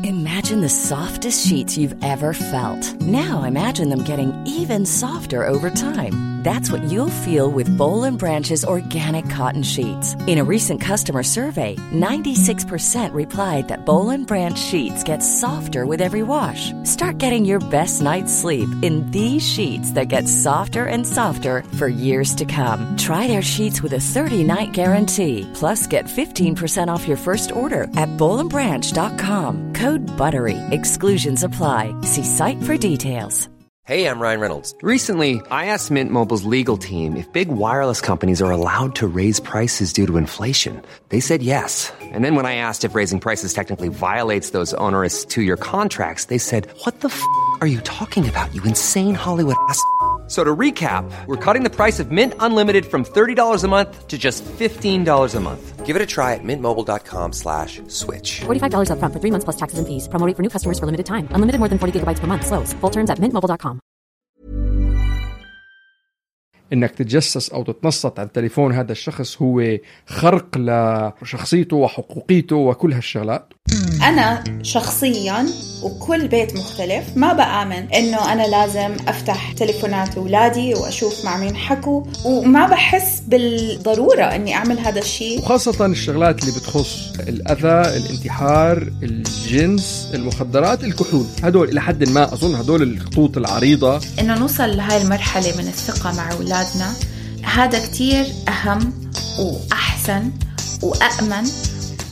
Imagine the softest sheets you've ever felt. Now imagine them getting even softer over time. That's what you'll feel with Boll & Branch's organic cotton sheets. In a recent customer survey, 96% replied that Boll & Branch sheets get softer with every wash. Start getting your best night's sleep in these sheets that get softer and softer for years to come. Try their sheets with a 30-night guarantee. Plus, get 15% off your first order at bollandbranch.com. Code BUTTERY. Exclusions apply. See site for details. Hey, I'm Ryan Reynolds. Recently, I asked Mint Mobile's legal team if big wireless companies are allowed to raise prices due to inflation. They said yes. And then when I asked if raising prices technically violates those onerous two-year contracts, they said, "What the are you talking about, you insane Hollywood ass?" So to recap, we're cutting the price of Mint Unlimited from $30 a month to just $15 a month. Give it a try at mintmobile.com/switch. $45 up front for 3 months plus taxes and fees. Promo rate for new customers for limited time. Unlimited more than 40 gigabytes per month. Slows full terms at mintmobile.com. انك تتجسس او تتنصت على تليفون هذا الشخص هو خرق لشخصيته وحقوقيته وكل هالشغلات. أنا شخصياً وكل بيت مختلف ما بآمن إنه أنا لازم أفتح تليفونات أولادي وأشوف مع مين حكوا، وما بحس بالضرورة إني أعمل هذا الشيء. وخاصة الشغلات اللي بتخص الأذى، الانتحار، الجنس، المخدرات، الكحول، هدول إلى حد ما أظن هدول الخطوط العريضة. إنه نوصل لهاي المرحلة من الثقة مع أولادنا هذا كتير أهم وأحسن وأأمن،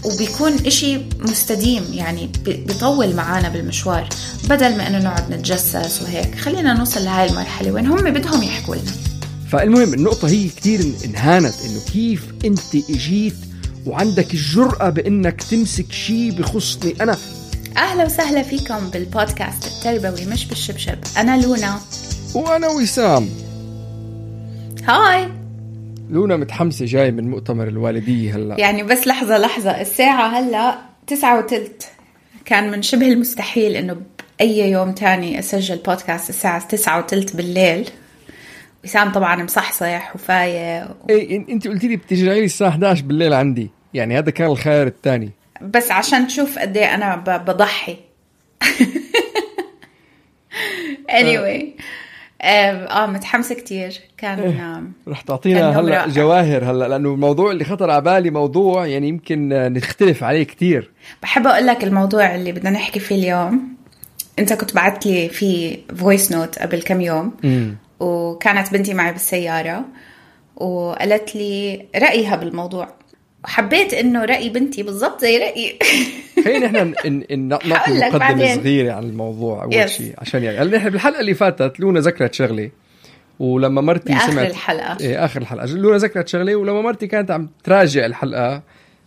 وبيكون إشي مستديم، يعني بيطول معانا بالمشوار، بدل ما إنه نقعد نتجسس وهيك. خلينا نوصل لهاي المرحلة وين هم بدهم يحكوا لنا. فالمهم النقطة هي كتير انهانت، إنه كيف أنت إجيت وعندك الجرأة بإنك تمسك شيء بخصني أنا. أهلا وسهلا فيكم بالبودكاست التربوي مش بالشبشب. أنا لونا وأنا وسام. هاي. لونا متحمسة جاي من مؤتمر الوالدية هلأ، يعني بس لحظة الساعة هلأ 9:03. كان من شبه المستحيل إنه بأي يوم تاني أسجل بودكاست الساعة 9:03 بالليل. وسام طبعا مصحصح وفايق إيه أنت قلتي لي بتجي لي الساعة 11 بالليل عندي، يعني هذا كان الخيار الثاني، بس عشان تشوف قد إيه أنا بضحي. anyway متحمسة كتير. كان رح تعطينا هلأ جواهر هلأ، لأنه الموضوع اللي خطر على بالي موضوع يعني يمكن نختلف عليه كتير. بحب أقول لك الموضوع اللي بدنا نحكي فيه اليوم. أنت كنت بعت لي في فويس نوت قبل كم يوم وكانت بنتي معي بالسيارة وقالت لي رأيها بالموضوع، وحبيت إنه رأي بنتي بالضبط زي رأيي. خلينا إحنا نعطي مقدمة صغيرة عن الموضوع أول شيء، عشان يعني إحنا بالحلقة اللي فاتت لونا ذكرت شغلة، ولما مرتي سمعت آخر الحلقة لونا ذكرت شغلة، ولما مرتي كانت عم تراجع الحلقة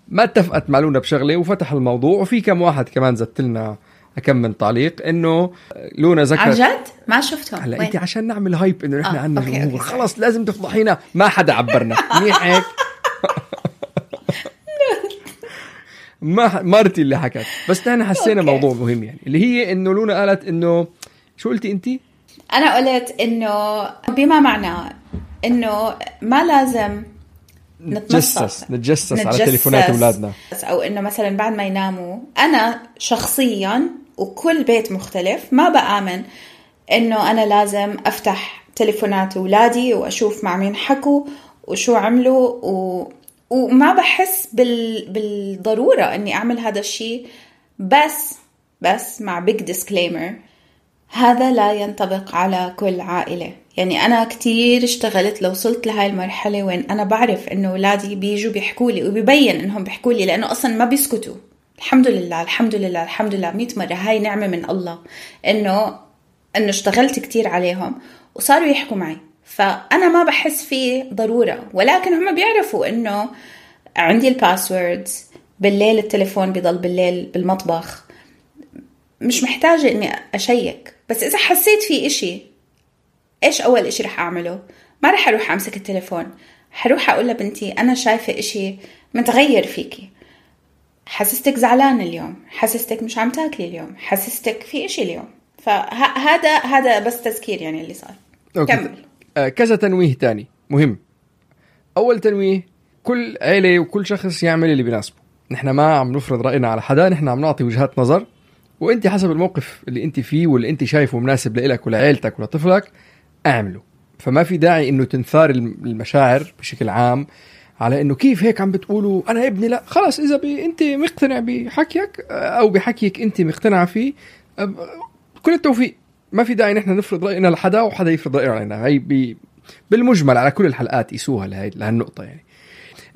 ما اتفقت مع لونا بشغلة وفتح الموضوع، وفي كم واحد كمان زدت لنا كم من تعليق إنه لونا ذكرت. عن جد ما شفتهم. هلا أنت عشان نعمل هايب إنه إحنا عنا جمهور خلاص لازم تفضحينا، ما حدا عبرنا منيح هيك. ما مرتي اللي حكت، بس نحن حسينا موضوع مهم يعني، اللي هي إنه لونا قالت إنه شو قلتي أنتي؟ أنا قلت إنه بما معناه إنه ما لازم نتجسس على تليفونات أولادنا، أو إنه مثلا بعد ما يناموا. أنا شخصيا وكل بيت مختلف ما بآمن إنه أنا لازم أفتح تليفونات أولادي وأشوف مع مين حكوا وشو عملوا وما بحس بالضرورة أني أعمل هذا الشيء. بس مع big disclaimer، هذا لا ينطبق على كل عائلة. يعني أنا كتير اشتغلت لو وصلت لهاي المرحلة وين أنا بعرف إنه أولادي بيجوا بيحكوا لي وبيبين إنهم بيحكوا لي، لأنه أصلا ما بيسكتوا. الحمد لله 100 مرة، هاي نعمة من الله إنه اشتغلت كتير عليهم وصاروا يحكوا معي. فأنا ما بحس فيه ضرورة، ولكن هم بيعرفوا إنه عندي الباسوردز. بالليل التليفون بيضل بالليل بالمطبخ، مش محتاجة إني أشيك. بس إذا حسيت في إشي، إيش أول إشي رح أعمله؟ ما رح أروح أمسك التليفون، حروح أقول لبنتي أنا شايفة إشي متغير فيكي، حسستك زعلان اليوم، حسستك مش عم تاكلي اليوم، حسستك في إشي اليوم. فهذا بس تذكير يعني اللي صار. كمل. كذا تنويه تاني مهم. أول تنويه، كل عيلة وكل شخص يعمل اللي بيناسبه. نحن ما عم نفرض رأينا على حدا، نحن عم نعطي وجهات نظر وانت حسب الموقف اللي انت فيه واللي انت شايفه مناسب لإلك ولعائلتك ولطفلك اعمله. فما في داعي انه تنثار المشاعر بشكل عام على انه كيف هيك عم بتقولوا انا ابني. لا خلاص، اذا انت مقتنع بحكيك او بحكيك انت مقتنع فيه، كل التوفيق. ما في داعي نحن نفرض راينا لحدا وحدا يفرض رايه علينا. هي بالمجمل على كل الحلقات يسوها لهالنقطه. يعني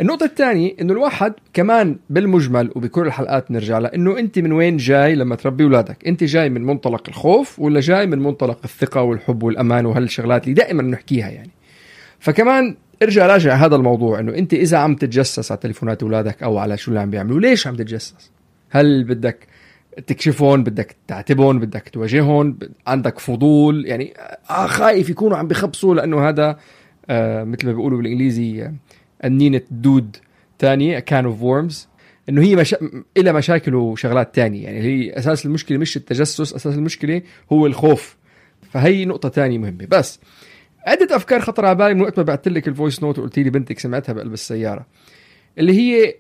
النقطه الثانيه انه الواحد كمان بالمجمل وبكل الحلقات نرجع لها انه انت من وين جاي لما تربي اولادك. انت جاي من منطلق الخوف ولا جاي من منطلق الثقه والحب والامان وهالشغلات اللي دائما نحكيها يعني. فكمان ارجع راجع هذا الموضوع، انه انت اذا عم تتجسس على تليفونات اولادك او على شو اللي عم بيعملوا، ليش عم تتجسس؟ هل بدك تكشفون، بدك تعتبون، بدك تواجهون، عندك فضول؟ يعني خايف يكونوا عم بيخبصوا لانه هذا مثل ما بيقولوا بالانجليزي النينة دود تانية كان اوف وورمز، انه هي إلى مشاكل وشغلات تانية. يعني هي اساس المشكلة مش التجسس، اساس المشكلة هو الخوف. فهي نقطة تانية مهمة. بس عدة افكار خطر على بالي من وقت ما بعت لك الفويس نوت وقلت لي بنتك سمعتها بقلب السيارة، اللي هي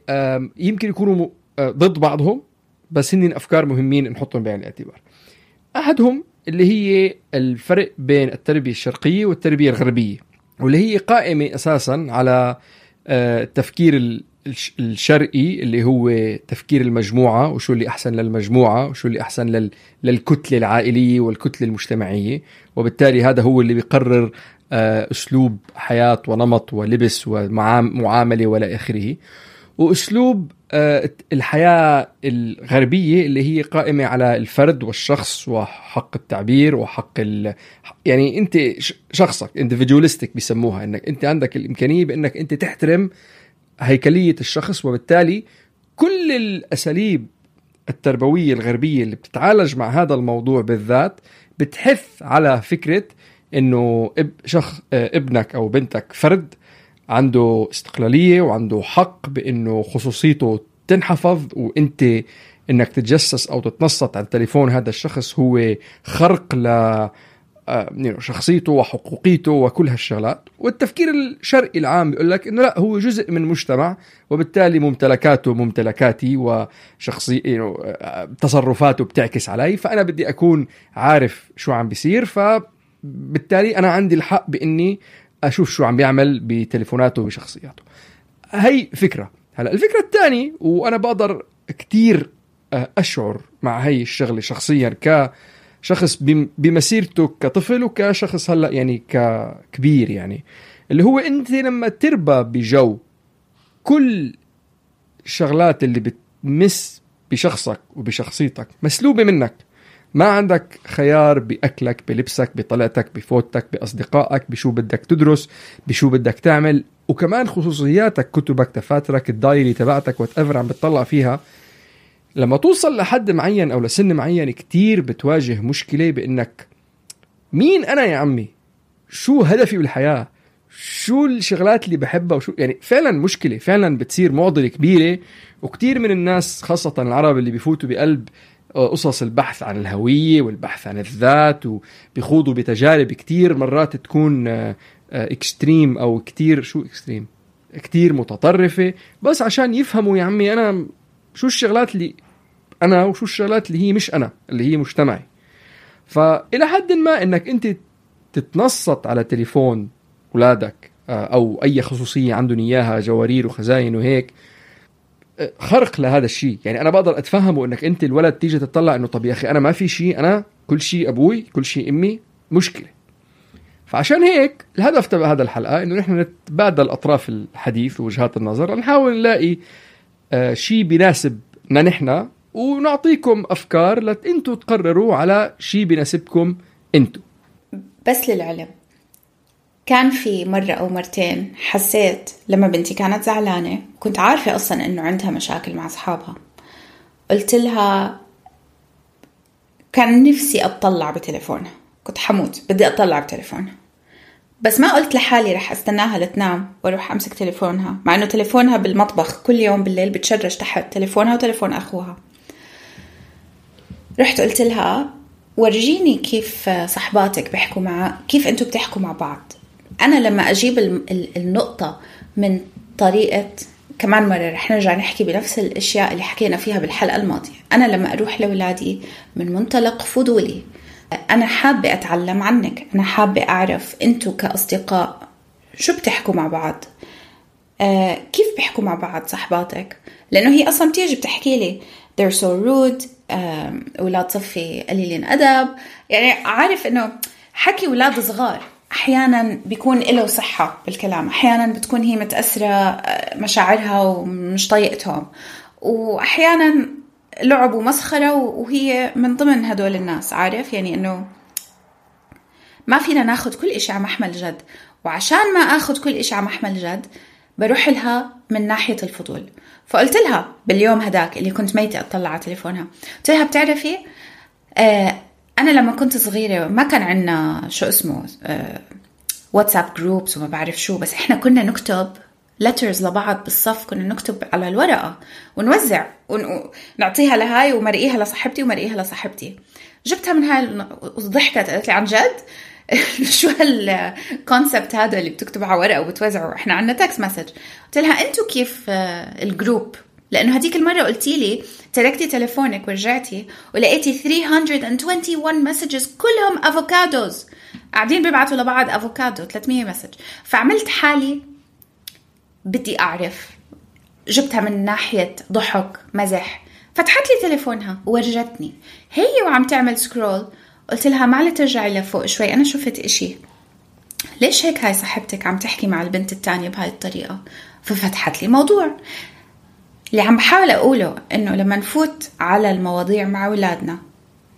يمكن يكونوا ضد بعضهم، بس هن افكار مهمين نحطهم بعين الاعتبار. احدهم اللي هي الفرق بين التربية الشرقية والتربية الغربية، واللي هي قائمة اساسا على التفكير الشرقي اللي هو تفكير المجموعة، وشو اللي أحسن للمجموعة وشو اللي أحسن للكتلة العائلية والكتلة المجتمعية. وبالتالي هذا هو اللي بيقرر أسلوب حياة ونمط ولبس ومعاملة ولا آخره. وأسلوب الحياة الغربية اللي هي قائمة على الفرد والشخص وحق التعبير وحق يعني أنت شخصك individualistic بيسموها، إنك أنت عندك الإمكانية بأنك أنت تحترم هيكلية الشخص. وبالتالي كل الأساليب التربوية الغربية اللي بتتعالج مع هذا الموضوع بالذات بتحث على فكرة إنه ابنك أو بنتك فرد عنده استقلالية وعنده حق بأنه خصوصيته تنحفظ، وانت انك تتجسس او تتنصت على التليفون هذا الشخص هو خرق ل شخصيته وحقوقيته وكل هالشغلات. والتفكير الشرقي العام بيقول لك انه لا، هو جزء من مجتمع وبالتالي ممتلكاته ممتلكاتي وشخصي تصرفاته بتعكس علي، فانا بدي اكون عارف شو عم بيصير، فبالتالي انا عندي الحق باني اشوف شو عم بيعمل بتليفوناته وبشخصياته. هي فكرة. هلا الفكرة الثانية، وانا بقدر كتير اشعر مع هي الشغلة شخصيا كشخص بمسيرته كطفل وكشخص هلا يعني ككبير، يعني اللي هو انت لما تربى بجو كل الشغلات اللي بتمس بشخصك وبشخصيتك مسلوبة منك، ما عندك خيار بأكلك، بلبسك، بطلعتك، بفوتك، بأصدقائك، بشو بدك تدرس، بشو بدك تعمل، وكمان خصوصياتك، كتبك، دفاترك، الدايري تبعتك واتأفر عم بتطلع فيها. لما توصل لحد معين أو لسن معين كتير بتواجه مشكلة بأنك مين أنا يا عمي؟ شو هدفي بالحياة؟ شو الشغلات اللي بحبها؟ وشو يعني فعلا مشكلة، فعلا بتصير معضلة كبيرة. وكتير من الناس خاصة العرب اللي بيفوتوا بقلب قصص البحث عن الهوية والبحث عن الذات وبيخوضوا بتجارب كتير مرات تكون اكستريم أو كتير متطرفة، بس عشان يفهموا يا عمي أنا شو الشغلات اللي أنا وشو الشغلات اللي هي مش أنا، اللي هي مجتمعي. فإلى حد ما إنك أنت تتنصت على تليفون أولادك أو أي خصوصية عندهم إياها، جوارير وخزاين وهيك، خرق لهذا الشيء. يعني أنا بقدر أتفهمه إنك أنت الولد تيجي تطلع إنه طب يا أخي أنا ما في شيء، أنا كل شيء أبوي، كل شيء أمي، مشكلة. فعشان هيك الهدف تبع هذا الحلقة إنه نحن نتبادل أطراف الحديث ووجهات النظر، نحاول نلاقي شيء بيناسبنا نحن، ونعطيكم أفكار لأنتوا تقرروا على شيء بيناسبكم أنتوا. بس للعلم، كان في مرة أو مرتين حسيت لما بنتي كانت زعلانة، كنت عارفة أصلا إنه عندها مشاكل مع أصحابها، قلت لها كان نفسي أطلع بتليفونها، كنت حموت بدي أطلع بتليفونها، بس ما قلت لحالي رح أستناها لتنام وأروح أمسك تليفونها، مع إنه تليفونها بالمطبخ كل يوم بالليل بتشرش تحت تليفونها وتليفون أخوها. رحت قلت لها ورجيني كيف صحباتك بيحكوا كيف أنتوا بتحكوا مع بعض. أنا لما أجيب النقطة من طريقة كمان مرة رح نرجع نحكي بنفس الاشياء اللي حكينا فيها بالحلقة الماضية. انا لما اروح لأولادي من منطلق فضولي، انا حابة اتعلم عنك، انا حابة اعرف انتو كاصدقاء شو بتحكوا مع بعض، كيف بيحكوا مع بعض صحباتك، لانه هي اصلا بتيجي بتحكي لي they're so rude، أولاد صفي قليلين أدب. يعني عارف إنه حكي أولاد صغار أحيانا بيكون له صحة بالكلام، أحيانا بتكون هي متأثرة مشاعرها ومش طايقتهم، وأحيانا لعب ومسخرة وهي من ضمن هدول الناس. عارف يعني إنه ما فينا ناخد كل إشي على محمل جد، وعشان ما أخد كل إشي على محمل جد بروح لها من ناحية الفضول. فقلت لها باليوم هداك اللي كنت ميتة أطلع على تليفونها، قلت لها بتعرفي أنا لما كنت صغيرة ما كان عنا شو اسمه واتساب جروبس وما بعرف شو، بس إحنا كنا نكتب letters لبعض بالصف، كنا نكتب على الورقة ونوزع ونعطيها لهاي ومرقيها لصاحبتي ومرقيها لصاحبتي. جبتها من هاي وضحكت، قالت لي عن جد شو هالكونسبت هذا اللي بتكتب على ورقة وبتوزعه، احنا عنا تكست مسج. قلت لها انتو كيف الجروب؟ لانه هديك المرة قلتي لي تركتي تليفونك ورجعتي ولقيتي 321 مسجز كلهم افوكادوز، قاعدين بيبعتوا لبعض افوكادو 300 مسج. فعملت حالي بدي اعرف، جبتها من ناحية ضحك مزح، فتحت لي تليفونها وورجتني هي وعم تعمل سكرول. قلت لها معلي ترجعي لفوق شوي، أنا شفت إشي، ليش هيك هاي صاحبتك عم تحكي مع البنت التانية بهاي الطريقة؟ ففتحت لي موضوع. اللي عم بحاول أقوله إنه لما نفوت على المواضيع مع أولادنا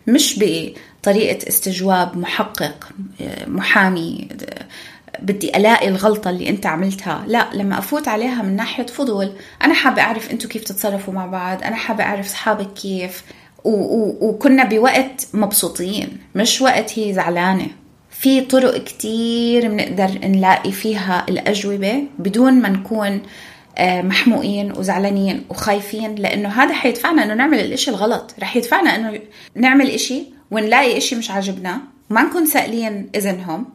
مش بطريقة استجواب محقق محامي بدي ألاقي الغلطة اللي أنت عملتها، لا، لما أفوت عليها من ناحية فضول، أنا حابة أعرف أنتوا كيف تتصرفوا مع بعض، أنا حابة أعرف صحابك كيف، وكنا بوقت مبسوطين مش وقت هي زعلانة. في طرق كتير بنقدر نلاقي فيها الأجوبة بدون ما نكون محموقين وزعلانين وخايفين، لأنه هذا حيدفعنا أنه نعمل الإشي الغلط، رح يدفعنا أنه نعمل إشي ونلاقي إشي مش عاجبنا وما نكون سائلين إذنهم.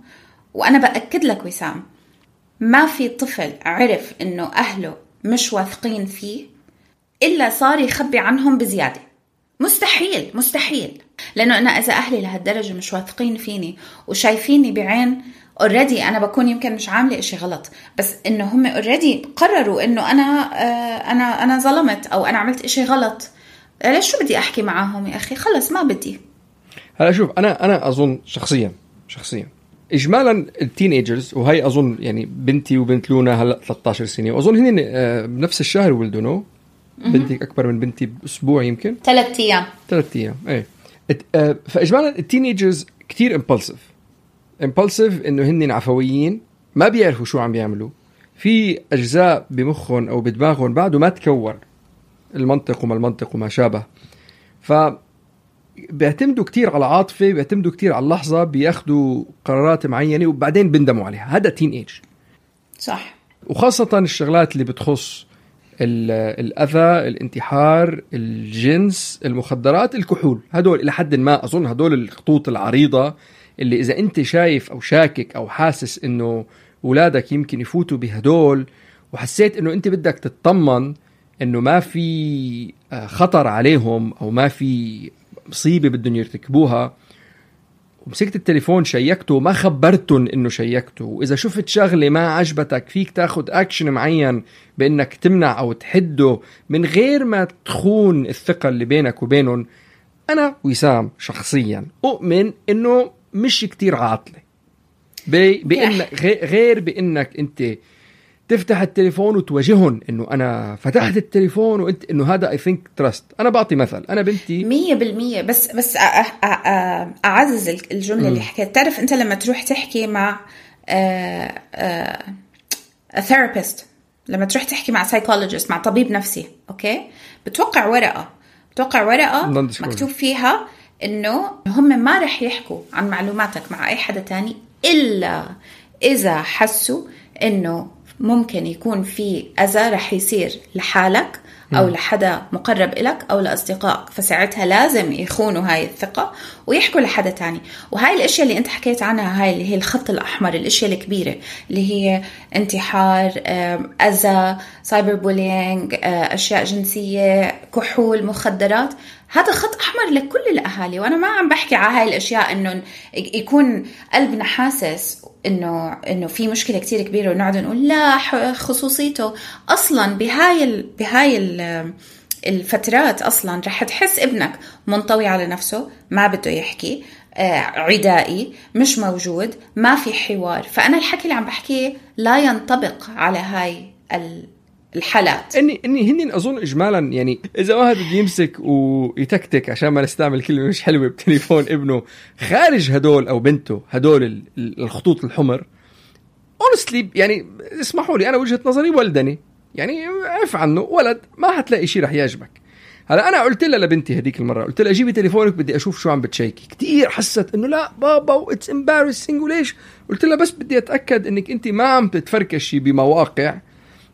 وأنا بأكد لك وسام، ما في طفل عرف أنه أهله مش واثقين فيه إلا صار يخبي عنهم بزيادة. مستحيل مستحيل، لأنه أنا إذا أهلي لهالدرجة مش واثقين فيني وشايفيني بعين already أنا بكون يمكن مش عاملة إشي غلط، بس إنه هم already قرروا إنه أنا ظلمت أو أنا عملت إشي غلط، ليش شو بدي أحكي معاهم يا أخي؟ خلص ما بدي. هلا شوف، أنا أظن شخصيا إجمالا التينيجرز، وهي أظن يعني بنتي وبنت لونا هلأ 13 سنة، وأظن هن بنفس الشهر ولدوا. بنتك أكبر من بنتي بأسبوع يمكن 3 أيام. إيه. فإجمالا التينيجرز كتير impulsive إنه هن عفويين، ما بيعرفوا شو عم بيعملوا، في أجزاء بمخهم أو بدماغهم بعده ما تكور المنطق وما المنطق وما شابه، فبيعتمدوا كتير على عاطفة، بيعتمدوا كتير على اللحظة، بياخدوا قرارات معينة وبعدين بندموا عليها. هذا تين ايج صح. وخاصة الشغلات اللي بتخص الأذى، الانتحار، الجنس، المخدرات، الكحول، هدول إلى حد ما أظن هدول الخطوط العريضة اللي إذا أنت شايف أو شاكك أو حاسس إنه أولادك يمكن يفوتوا بهدول، وحسيت إنه أنت بدك تطمن إنه ما في خطر عليهم أو ما في مصيبة بدهم يرتكبوها، ومسكت التليفون شيكته ما خبرتن إنه شيكته، وإذا شفت شغلة ما عجبتك فيك تاخد أكشن معين بإنك تمنع أو تحده من غير ما تخون الثقة اللي بينك وبينهم. أنا وسام شخصيا أؤمن إنه مش كتير عاطلة بإنك غير بإنك أنت تفتح التليفون وتواجههم إنه أنا فتحت التليفون وأنت إنه هذا I think trust. أنا بعطي مثل، أنا بنتي 100%، بس أعزز الجملة اللي حكيت. تعرف أنت لما تروح تحكي مع therapist، لما تروح تحكي مع psychologist، مع طبيب نفسي، أوكي، بتوقع ورقة مكتوب فيها إنه هم ما رح يحكوا عن معلوماتك مع أي حدا تاني إلا إذا حسوا إنه ممكن يكون في أذى رح يصير لحالك أو لحدا مقرب إلك أو لأصدقائك، فساعتها لازم يخونوا هاي الثقة ويحكوا لحدا تاني. وهاي الأشياء اللي أنت حكيت عنها، هاي اللي هي الخط الأحمر، الأشياء الكبيرة اللي هي انتحار، أذى، سايبر بولينج، أشياء جنسية، كحول، مخدرات، هذا خط أحمر لكل الأهالي. وأنا ما عم بحكي على هاي الأشياء إنه يكون قلبنا حاسس إنه في مشكلة كتير كبيرة ونقعد نقول لا خصوصيته. أصلاً بهاي الفترات أصلاً رح تحس ابنك منطوي على نفسه، ما بده يحكي، عدائي، مش موجود، ما في حوار. فأنا الحكي اللي عم بحكيه لا ينطبق على هاي الحالات. اني هني اظن اجمالا، يعني اذا واحد بده يمسك ويتكتك عشان ما نستعمل كلمه مش حلوه بتليفون ابنه خارج هدول او بنته هدول الخطوط الحمر، honestly يعني اسمحوا لي، انا وجهه نظري ولدني، يعني عف عنه ولد، ما حتلاقي شيء رح يعجبك. هلا انا قلت لها لبنتي هديك المره، قلت لها جيبي تليفونك بدي اشوف شو عم بتشيكي. كتير حست انه لا بابا واتس امبارسينج وليش. قلت لها بس بدي اتاكد انك انت ما عم تتفركشي بمواقع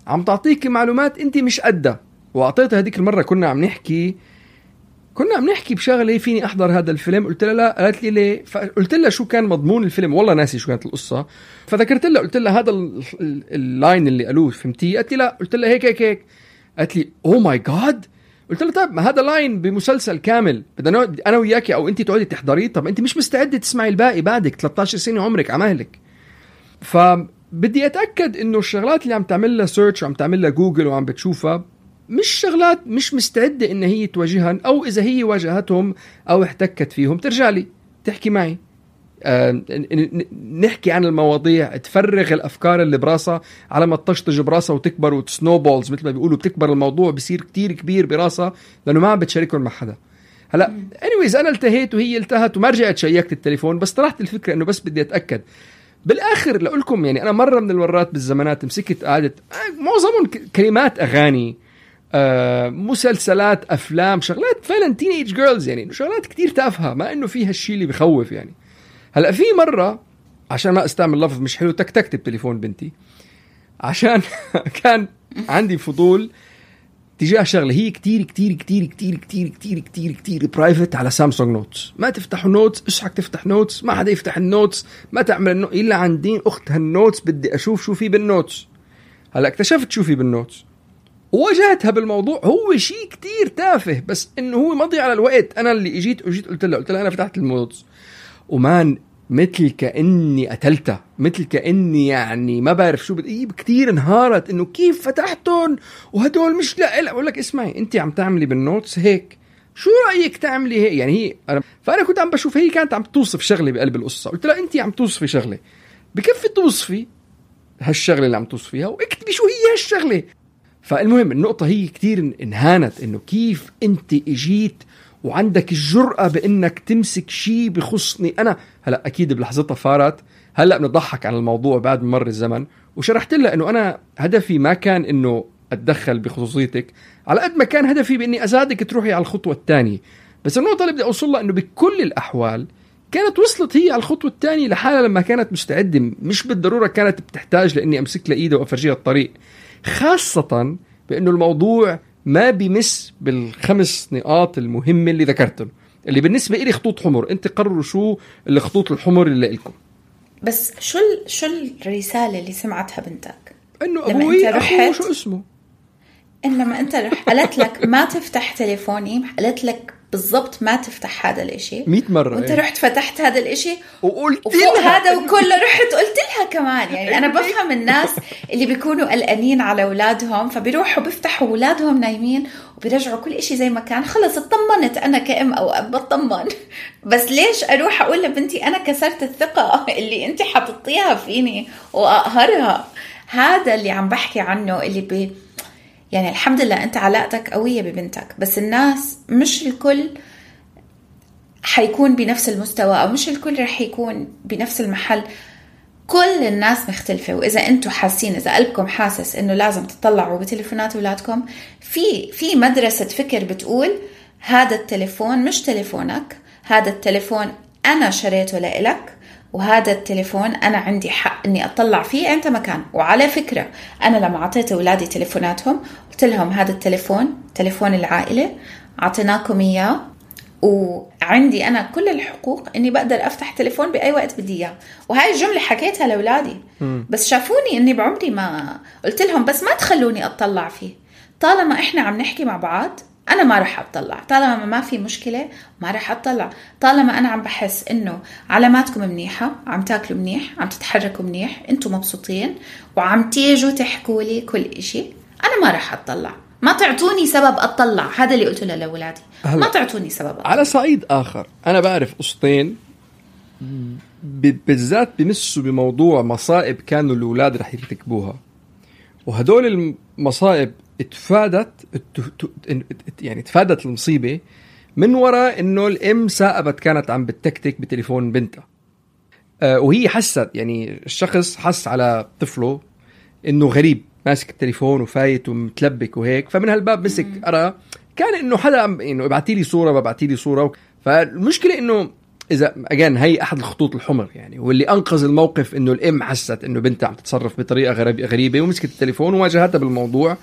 عم تعطيك معلومات انت مش قدها. واعطيتها هديك المره كنا عم نحكي بشغله فيني احضر هذا الفيلم. قلت لها لا. قالت لي ليه؟ فقلت لها شو كان مضمون الفيلم، والله ناسي شو كانت القصه. فذكرت لها قلت لها هذا اللاين اللي قالوه فهمتيه؟ قالت لي لا. قلت لها هيك. قالت لي اوه ماي جاد. قلت لها طيب ما هذا لاين بمسلسل كامل بدنا انا وياكي او انت تقعدي تحضريه، طب انت مش مستعده تسمعي الباقي، بعدك 13 سنه عمرك عمالك. فبدي اتاكد انه الشغلات اللي عم تعمل لها سيرش وعم تعمل لها جوجل وعم بتشوفها مش شغلات مش مستعده ان هي تواجهها، او اذا هي واجهتهم او احتكت فيهم ترجع لي تحكي معي، نحكي عن المواضيع، تفرغ الأفكار اللي براسها على ما تطشطج براسها وتكبر وتسنوبولز مثل ما بيقولوا، بتكبر الموضوع بيصير كتير كبير براسها لأنه ما عم بتشاركهم مع حدا. هلا anyways أنا التهيت وهي التهت وما رجعت شيكت التليفون، بس طرحت الفكرة إنه بس بدي أتأكد. بالآخر لأقولكم يعني أنا مرة من المرات بالزمانات مسكت قعدت معظمهم كلمات أغاني، مسلسلات، أفلام، شغلات فعلا تينيج جيرلز، يعني شغلات كتير تافهة ما إنه فيها الشيء اللي بخوف. يعني هلأ في مرة عشان ما استعمل لفظ مش حلو تكتكت بتليفون بنتي عشان كان عندي فضول تجاه شغلة هي كتير كتير كتير كتير كتير كتير كتير كتير برايفت على سامسونج نوتس. ما تفتحوا نوتس، اشحك تفتح نوتس، ما حدا يفتح النوتس، ما تعمل إلا عندي أخت هالنوتس بدي أشوف شو في بالنوتس. هلأ اكتشفت شو في بالنوتس وواجهتها بالموضوع، هو شيء كتير تافه بس إنه هو مضي على الوقت. أنا اللي اجيت قلت لها أنا فتحت النوتس ومان مثل كأني قتلتها، مثل كأني يعني ما بعرف شو كتير انهارت إنه كيف فتحتهم وهدول مش لا أقول لك اسمعي أنت عم تعملي بالنوتس هيك، شو رأيك تعملي هيك؟ يعني هي فأنا كنت عم بشوف هي كانت عم توصف شغلة بقلب القصة. قلت لها أنت عم توصفي شغلة، بكفي توصفي هالشغلة اللي عم توصفيها واكتبي شو هي هالشغلة. فالمهم النقطة هي كتير انهانت إنه كيف أنت اجيت وعندك الجرأة بأنك تمسك شيء بخصني أنا. هلأ أكيد بلحظتها فارت، هلأ بنضحك عن الموضوع بعد مر الزمن، وشرحت لها أنه أنا هدفي ما كان أنه أتدخل بخصوصيتك على قد ما كان هدفي بأني أساعدك تروحي على الخطوة الثانية. بس النقطة اللي بدي أوصلها أنه بكل الأحوال كانت وصلت هي على الخطوة الثانية لحالها لما كانت مستعدة، مش بالضرورة كانت بتحتاج لأني أمسك لإيدها وأفرجيها الطريق، خاصة بأنه الموضوع ما بيمس بالخمس نقاط المهمة اللي ذكرتهم اللي بالنسبة إلي خطوط حمر. أنت قرروا شو الخطوط الحمر اللي لكم. بس شو الرسالة اللي سمعتها بنتك؟ إنه أبوي أخوه شو اسمه، لما أنت رحت قالت لك ما تفتح تليفوني، قالت لك بالضبط ما تفتح هذا الاشي 100 مرة، وانت رحت فتحت هذا الاشي وقلت لها هذا وكله رحت قلت لها كمان. يعني انا بفهم الناس اللي بيكونوا قلقانين على اولادهم فبيروحوا بيفتحوا اولادهم نايمين وبيرجعوا كل اشي زي ما كان، خلص اطمنت انا كأم او اب بطمن. بس ليش اروح اقول لبنتي انا كسرت الثقة اللي انت حطيتيها فيني واقهرها؟ هذا اللي عم بحكي عنه، اللي يعني الحمد لله أنت علاقتك قوية ببنتك، بس الناس مش الكل حيكون بنفس المستوى أو مش الكل رح يكون بنفس المحل. كل الناس مختلفة، وإذا أنتوا حاسين، إذا قلبكم حاسس إنه لازم تطلعوا بتليفونات أولادكم، في مدرسة فكر بتقول هذا التليفون مش تليفونك، هذا التليفون أنا شريته لإلك وهذا التليفون أنا عندي حق أني أطلع فيه أنت مكان. وعلى فكرة أنا لما عطيت أولادي تليفوناتهم قلت لهم هذا التليفون تليفون العائلة، عطيناكم إياه، وعندي أنا كل الحقوق أني بقدر أفتح تليفون بأي وقت بدي إياه. وهاي الجملة حكيتها لأولادي، بس شافوني أني بعمري ما قلت لهم بس ما تخلوني أطلع فيه. طالما إحنا عم نحكي مع بعض أنا ما رح أطلع، طالما ما في مشكلة ما رح أطلع، طالما أنا عم بحس إنه علاماتكم منيحة، عم تاكلوا منيح، عم تتحركوا منيح، أنتم مبسوطين وعم تيجوا تحكوا لي كل إشي، أنا ما رح أطلع. ما تعطوني سبب أطلع، هذا اللي قلته لأولادي، ما تعطوني سبب أطلع. على صعيد آخر أنا بعرف قصتين بالذات بمسوا بموضوع مصائب كانوا الأولاد رح يرتكبوها، وهدول المصائب تفادت المصيبة من وراء إنه الأم سائبت كانت عم بتكتك بتليفون بنتها، وهي حست، يعني الشخص حس على طفله إنه غريب ماسك التليفون وفايت ومتلبك وهيك، فمن هالباب مسك أرى كان إنه حدا إنه ابعتيلي صورة فالمشكلة إنه إذا أجان هي أحد الخطوط الحمر يعني، واللي أنقذ الموقف إنه الأم حست إنه بنتها عم تتصرف بطريقة غريبة ومسكت التليفون وواجهتها بالموضوع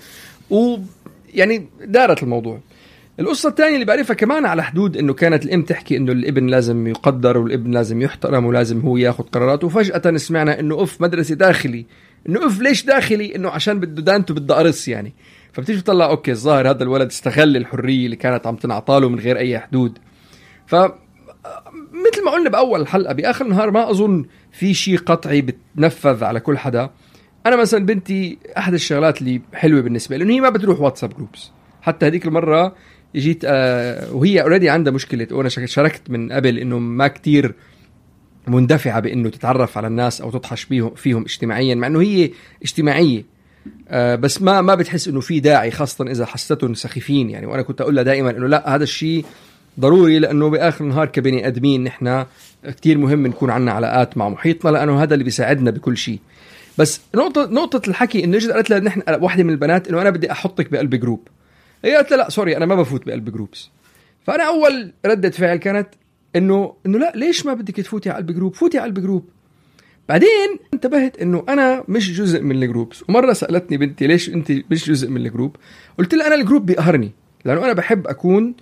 ويعني دارت الموضوع. القصة الثانية اللي بعرفها كمان على حدود إنه كانت الأم تحكي إنه الابن لازم يقدر والابن لازم يحترم ولازم هو ياخد قراراته، وفجأة سمعنا إنه مدرسة داخلي، إنه ليش داخلي؟ إنه عشان بده دانته بده قرص يعني. فبتيجي تطلع أوكي الظاهر هذا الولد استغل الحرية اللي كانت عم تنعطاله من غير أي حدود. مثل ما قلنا بأول الحلقة، بآخر النهار ما أظن في شيء قطعي بتنفذ على كل حدا. أنا مثلا بنتي أحد الشغلات اللي حلوة بالنسبة لأنه هي ما بتروح واتساب جروبس. حتى هذيك المرة جيت وهي أوريدي عندها مشكلة، وأنا شاركت من قبل إنه ما كتير مندفعة بإنه تتعرف على الناس أو تضحش فيهم اجتماعيا، مع إنه هي اجتماعية بس ما بتحس إنه في داعي، خاصة إذا حستهم سخيفين يعني. وأنا كنت أقول لها دائما إنه لا، هذا الشيء ضروري، لأنه بآخر النهار كبني أدمين نحن كتير مهم نكون عنا علاقات مع محيطنا، لأنه هذا اللي بيساعدنا بكل شيء. بس نقطة الحكي إنه قالت لها نحن واحدة من البنات إنه أنا بدي أحطك بقلب جروب. هي قالت لا سوري أنا ما بفوت بقلب جروبس. فأنا أول ردة فعل كانت إنه لا، ليش ما بدك تفوتي على قلب جروب؟ فوتي على قلب جروب. بعدين انتبهت إنه أنا مش جزء من الجروبس. ومرة سألتني بنتي ليش أنت مش جزء من الجروب؟ قلت لها أنا الجروب بيقهرني، لأنه أنا بحب أكون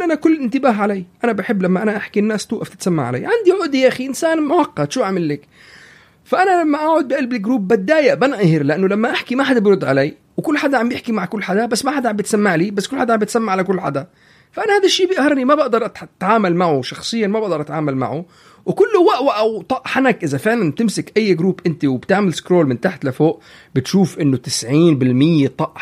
أنا كل انتباه علي. أنا بحب لما أنا أحكي الناس توقف تتسمع علي. عندي عقدة يا أخي، إنسان معقد، شو أعمل لك؟ فأنا لما أقعد بقلب الجروب بتضايق، بنقهر، لأنه لما أحكي ما حدا بيرد علي، وكل حدا عم بيحكي مع كل حدا، بس ما حدا عم بتسمع لي، بس كل حدا عم بتسمع على كل حدا. فأنا هذا الشيء بيقهرني، ما بقدر أتعامل معه شخصيا، ما بقدر أتعامل معه. وكله وقوة أو طق حنك. إذا فعلا تمسك أي جروب أنت وبتعمل سكرول من تحت لفوق بتشوف إنه 90% طق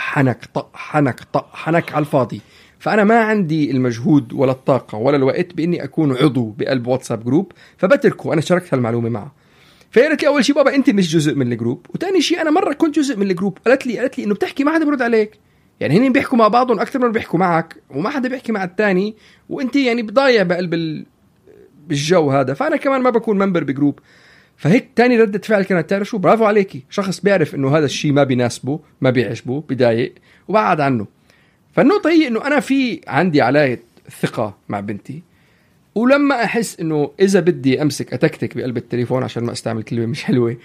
حنك على الفاضي. فأنا ما عندي المجهود ولا الطاقة ولا الوقت بإني أكون عضو بقلب واتساب جروب، فبتركه. أنا شاركت هالمعلومة معه. فقالت لي أول شيء بابا أنت مش جزء من الجروب، وتاني شيء أنا مرة كنت جزء من الجروب. قالت لي إنه بتحكي ما حدا برد عليك، يعني هني بيحكوا مع بعضهم أكتر من بيحكوا معك، وما حدا بيحكي مع التاني، وأنت يعني بضايع بقلب بالجو هذا. فأنا كمان ما بكون ممبر بجروب. فهيك تاني ردة فعل كانت تعرف شو، برافو عليكي، شخص بيعرف إنه هذا الشيء ما بيناسبه، ما بيعجبه، بيضايق، وبعد عنه. فالنقطة هي إنه أنا عندي علاقة ثقة مع بنتي، ولما أحس إنه إذا بدي أمسك أتكتك بقلب التليفون، عشان ما أستعمل كلمة مش حلوة،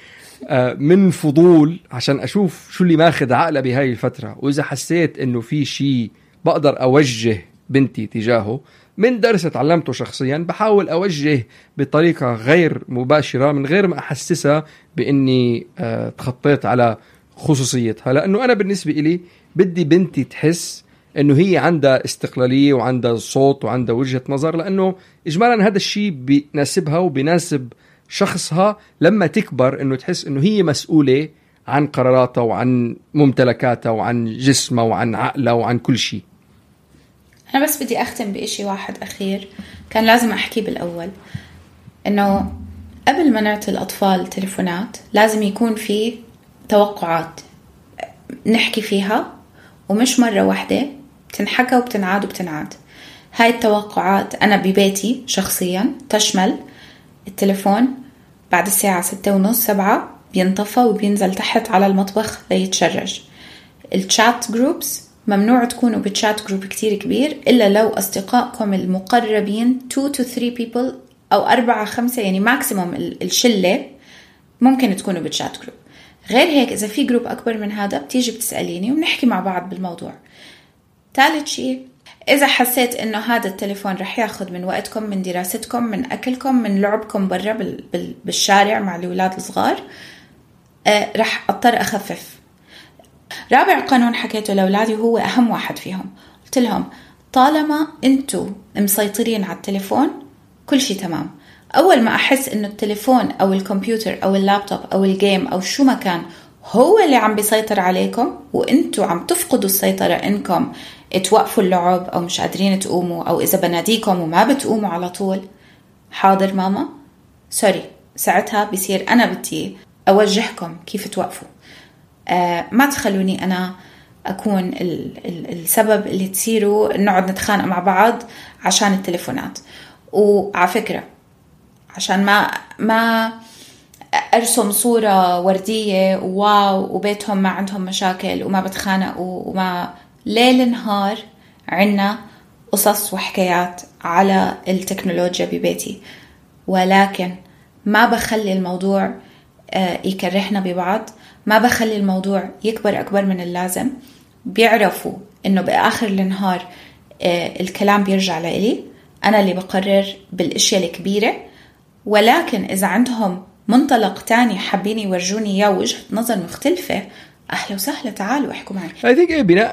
من فضول عشان أشوف شو اللي ماخذ عقله بهاي الفترة، وإذا حسيت إنه في شيء بقدر أوجه بنتي تجاهه من درس تعلمته شخصيا، بحاول أوجه بطريقة غير مباشرة من غير ما أحسسها بإني تخطيت على خصوصيتها. لأنه أنا بالنسبة إلي بدي بنتي تحس إنه هي عندها استقلالية وعندها صوت وعندها وجهة نظر، لأنه إجمالا هذا الشيء بيناسبها وبيناسب شخصها لما تكبر، إنه تحس إنه هي مسؤولة عن قراراتها وعن ممتلكاتها وعن جسمها وعن عقلها وعن كل شيء. أنا بس بدي أختم بإشي واحد أخير كان لازم أحكي بالأول، إنه قبل ما نعطي الأطفال تليفونات لازم يكون في توقعات نحكي فيها، ومش مرة واحدة، بتنحكى وبتنعاد وبتنعاد. هاي التوقعات أنا ببيتي شخصيا تشمل التليفون بعد الساعة 6:30-7 بينطفى وبينزل تحت على المطبخ ليتشرج. الشات جروبس ممنوع تكونوا بتشات جروب كتير كبير إلا لو أصدقائكم المقربين 2 to 3 people أو 4-5 يعني ماكسيموم الشلة ممكن تكونوا بتشات جروب. غير هيك إذا في جروب أكبر من هذا بتيجي بتسأليني وبنحكي مع بعض بالموضوع. ثالث شيء، إذا حسيت إنه هذا التليفون رح ياخد من وقتكم، من دراستكم، من أكلكم، من لعبكم برا بالشارع مع الأولاد الصغار، رح أضطر أخفف. رابع قانون حكيته لأولادي وهو أهم واحد فيهم، قلت لهم طالما أنتوا مسيطرين على التليفون كل شيء تمام. أول ما أحس إنه التليفون أو الكمبيوتر أو اللابتوب أو الجيم أو شو ما كان هو اللي عم بيسيطر عليكم وإنتوا عم تفقدوا السيطرة إنكم توقفوا اللعب أو مش قادرين تقوموا، أو إذا بناديكم وما بتقوموا على طول، حاضر ماما سوري، ساعتها بيصير أنا بدي أوجهكم كيف توقفوا. ما تخلوني أنا أكون السبب اللي تصيروا نقعد نتخانق مع بعض عشان التليفونات. وعلى فكرة عشان ما أرسم صورة وردية واو وبيتهم ما عندهم مشاكل وما بتخانقوا وما ليل نهار عنا قصص وحكايات على التكنولوجيا ببيتي، ولكن ما بخلي الموضوع يكرهنا ببعض، ما بخلي الموضوع يكبر أكبر من اللازم. بيعرفوا إنه بآخر النهار الكلام بيرجع لإلي، أنا اللي بقرر بالأشياء الكبيرة. ولكن إذا عندهم منطلق تاني حابين يورجوني إياه وجهة نظر مختلفة، أهلا وسهلا، تعالوا احكوا معي. I think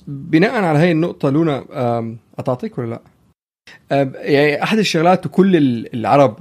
بناء على هاي النقطة لونا، أتعطيك ولا لا؟ يعني أحد الشغلات وكل العرب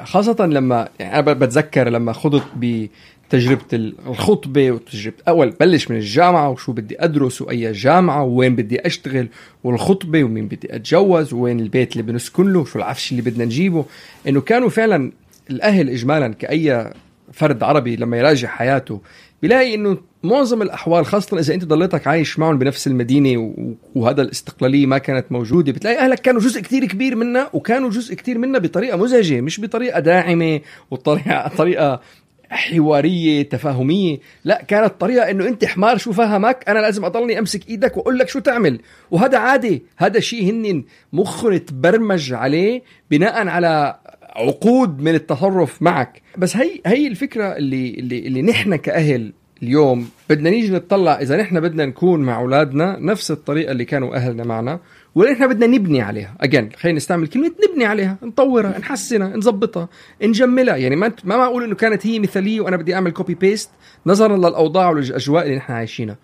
خاصة لما يعني أنا بتذكر لما خضت بتجربة الخطبة وتجربة أول بلش من الجامعة وشو بدي أدرس وأي جامعة وين بدي أشتغل والخطبة ومين بدي أتجوز وين البيت اللي بنسكن له وشو العفش اللي بدنا نجيبه، إنه كانوا فعلا الأهل إجمالا كأي فرد عربي لما يراجع حياته بيلاقي إنه معظم الأحوال خاصة إذا أنت ضليتك عايش معهم بنفس المدينة وهذا الاستقلالية ما كانت موجودة، بتلاقي أهلك كانوا جزء كتير كبير منا، وكانوا جزء كتير منا بطريقة مزعجة مش بطريقة داعمة وطريقة حوارية تفاهمية، لا كانت طريقة إنه أنت حمار شو فهمك، أنا لازم أضلني أمسك إيدك وأقول لك شو تعمل. وهذا عادي، هذا شيء هن مخنا تبرمج عليه بناء على عقود من التصرف معك. بس هي الفكرة اللي نحن كأهل اليوم بدنا نيجي نتطلع إذا نحن بدنا نكون مع أولادنا نفس الطريقة اللي كانوا أهلنا معنا، ولا نحن بدنا نبني عليها. خلينا نستعمل كلمة نبني عليها، نطورها، نحسنها، نزبطها، نجملها. يعني ما أقول إنه كانت هي مثالية وأنا بدي أعمل كوبي بيست نظرا للأوضاع والأجواء اللي نحن عايشينها.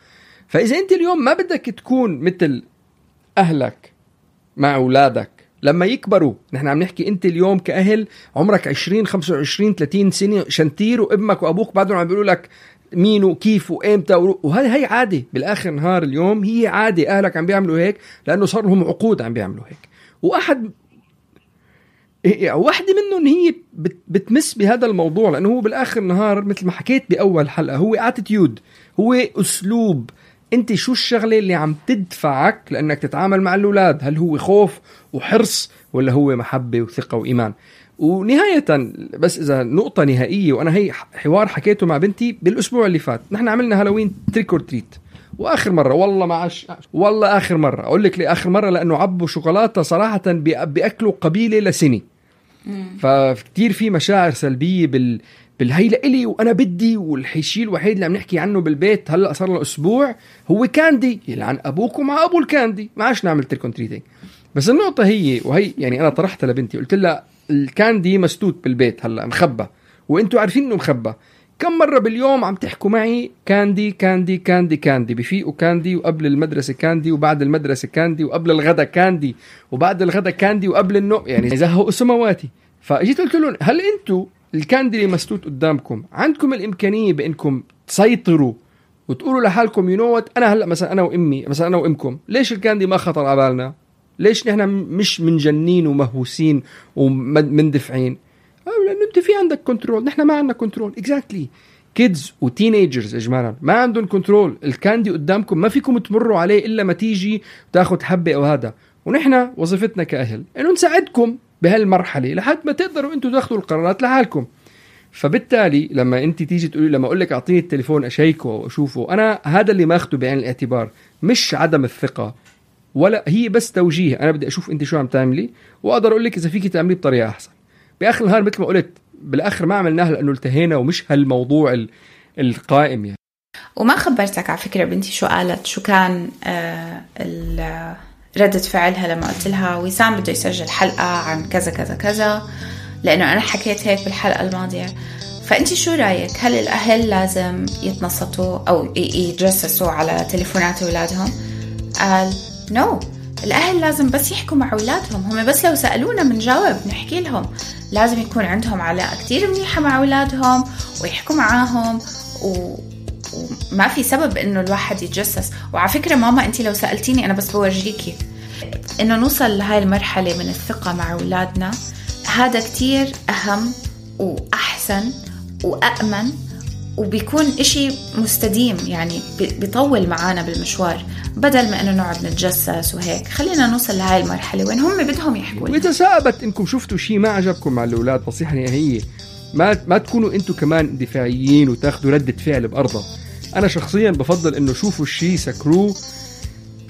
فإذا أنت اليوم ما بدك تكون مثل أهلك مع أولادك لما يكبروا، نحن عم نحكي أنت اليوم كأهل عمرك 20 25 30 سنة شنتير، وابنك وأبوك بعدهم عم بيقولوا لك مين وكيف وإمتى وهي عادي. بالآخر نهار اليوم هي عادي، أهلك عم بيعملوا هيك لأنه صار لهم عقود عم بيعملوا هيك. واحدة منهم هي بتمس بهذا الموضوع، لأنه هو بالآخر نهار مثل ما حكيت بأول حلقة هو attitude، هو أسلوب. أنت شو الشغلة اللي عم تدفعك لأنك تتعامل مع الأولاد؟ هل هو خوف وحرص ولا هو محبة وثقة وإيمان؟ ونهاية بس إذا نقطة نهائية، وأنا هي حوار حكيته مع بنتي بالأسبوع اللي فات، نحن عملنا هالوين تريك اور تريت، وآخر مرة والله ما عاش، والله آخر مرة أقول لك لي آخر مرة لأنه عبوا شوكولاتة صراحة بأكلوا قبيلة لسنة. فكتير في مشاعر سلبية بالهي لإلي وأنا بدي، والشيء الوحيد اللي عم نحكي عنه بالبيت هلأ صار له أسبوع هو كاندي، يلعن أبوك ومع أبو الكاندي، ما عاش نعمل تريك اور تريتينج. بس النقطة هي وهي يعني أنا طرحتها لبنتي، قلت لها الكاندي مسدود بالبيت هلأ مخبى، وانتوا عارفين انه مخبى. كم مرة باليوم عم تحكوا معي كاندي كاندي كاندي كاندي؟ بفيقوا كاندي، وقبل المدرسة كاندي، وبعد المدرسة كاندي، وقبل الغدا كاندي، وبعد الغدا كاندي، وقبل النوم، يعني زهقوا سمواتي. فاجيت قلت لهم هل انتوا الكاندي اللي مسدود قدامكم عندكم الإمكانية بأنكم تسيطروا وتقولوا لحالكم ينوت أنا هلأ مثلا أنا وإمي مثلا أنا وإمكم ليش الكاندي ما خطر على بالنا؟ ليش نحن مش منجنين ومهووسين ومندفعين؟ لأنه أنت في عندك كنترول، نحن ما عندنا كنترول. exactly kids وتينيجرز إجمالا ما عندهم كنترول. الكاندي قدامكم ما فيكم تمروا عليه إلا ما تيجي تاخد حبة أو هذا، ونحن وظيفتنا كأهل إنه نساعدكم بهالمرحلة لحد ما تقدروا أنتوا تاخدوا القرارات لحالكم. فبالتالي لما أنت تيجي تقولي لما أقول لك أعطيني التليفون أشيكه وأشوفه، أنا هذا اللي ما أخده بعين الاعتبار، مش عدم الثقة ولا هي بس توجيه. أنا بدي أشوف أنت شو عم تعملي وأقدر أقول لك إذا فيك تعملي بطريقة أحسن. بآخر النهار مثل ما قلت بالآخر ما عملناها لأنه التهينا ومش هالموضوع القائم يعني. وما خبرتك على فكرة بنتي شو قالت، شو كان ردة فعلها لما قلت لها وسام بده يسجل حلقة عن كذا كذا كذا، لأنه أنا حكيت هيك بالحلقة الماضية. فأنت شو رأيك؟ هل الأهل لازم يتنصتوا أو يتجسسوا على تليفونات أولادهم؟ قال نو، الأهل لازم بس يحكوا مع أولادهم، هم بس لو سألونا منجاوب نحكي لهم. لازم يكون عندهم علاقة كتير منيحة مع أولادهم ويحكوا معاهم، وما في سبب إنه الواحد يتجسس. وعلى فكرة ماما أنت لو سألتيني أنا بس بورجيكي إنه نوصل لهاي المرحلة من الثقة مع أولادنا، هذا كتير أهم وأحسن وأأمن، وبيكون إشي مستديم يعني بيطول معانا بالمشوار، بدل ما إنه نقعد نتجسس وهيك. خلينا نوصل لهاي المرحلة وين هم بدهم يحكوا. وإذا ثابت إنكم شفتوا شيء ما عجبكم مع الأولاد، نصيحة نهائية ما تكونوا أنتوا كمان دفاعيين وتاخدوا ردة فعل بأرضها. أنا شخصيا بفضل إنه شوفوا الشيء سكروه،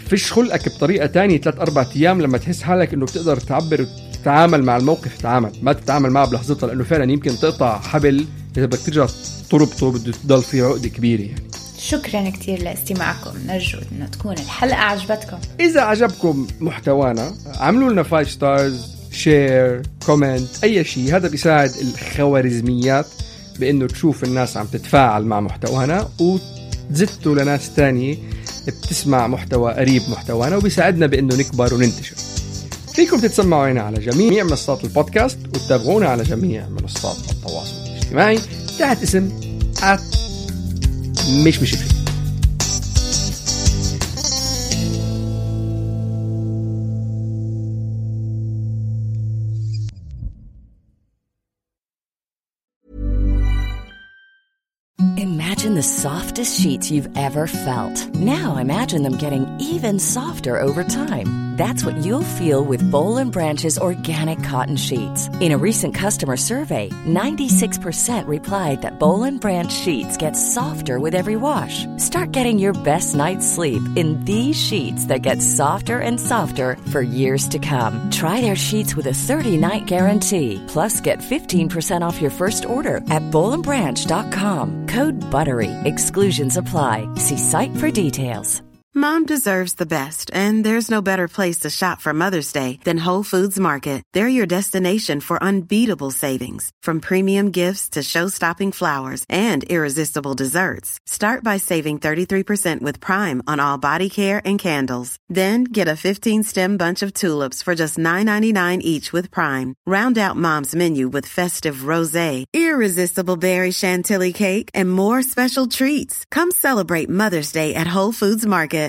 فيش خلقك بطريقة تانية 3-4 أيام لما تحس حالك إنه بتقدر تعبر تتعامل مع الموقف، تعامل ما تتعامل معه بلحظتها، لأنه فعلا يمكن تقطع حبل إذا بدك ترجع تربطه بده تضل فيه عقدة كبيرة يعني. شكرا كتير لاستماعكم، نرجو إنه تكون الحلقة عجبتكم. إذا عجبكم محتوانا عملوا لنا 5 ستارز، شير، كومنت، أي شيء. هذا بيساعد الخوارزميات بأنه تشوف الناس عم تتفاعل مع محتوانا وتزتوا لناس تانية بتسمع محتوى قريب محتوانا، وبيساعدنا بأنه نكبر وننتشر. فيكم تتسمعوا هنا على جميع منصات البودكاست وتتابعونا على جميع منصات التواصل الاجتماعي تحت اسم مش فيه. Imagine the softest sheets you've ever felt. Now imagine them getting even softer over time. That's what you'll feel with Boll & Branch's organic cotton sheets. In a recent customer survey, 96% replied that Boll & Branch sheets get softer with every wash. Start getting your best night's sleep in these sheets that get softer and softer for years to come. Try their sheets with a 30-night guarantee. Plus, get 15% off your first order at BollandBranch.com. Code BUTTERY. Exclusions apply. See site for details. Mom deserves the best, and there's no better place to shop for Mother's Day than Whole Foods Market. They're your destination for unbeatable savings, from premium gifts to show-stopping flowers and irresistible desserts. Start by saving 33% with Prime on all body care and candles. Then get a 15-stem bunch of tulips for just $9.99 each with Prime. Round out Mom's menu with festive rosé, irresistible berry chantilly cake, and more special treats. Come celebrate Mother's Day at Whole Foods Market.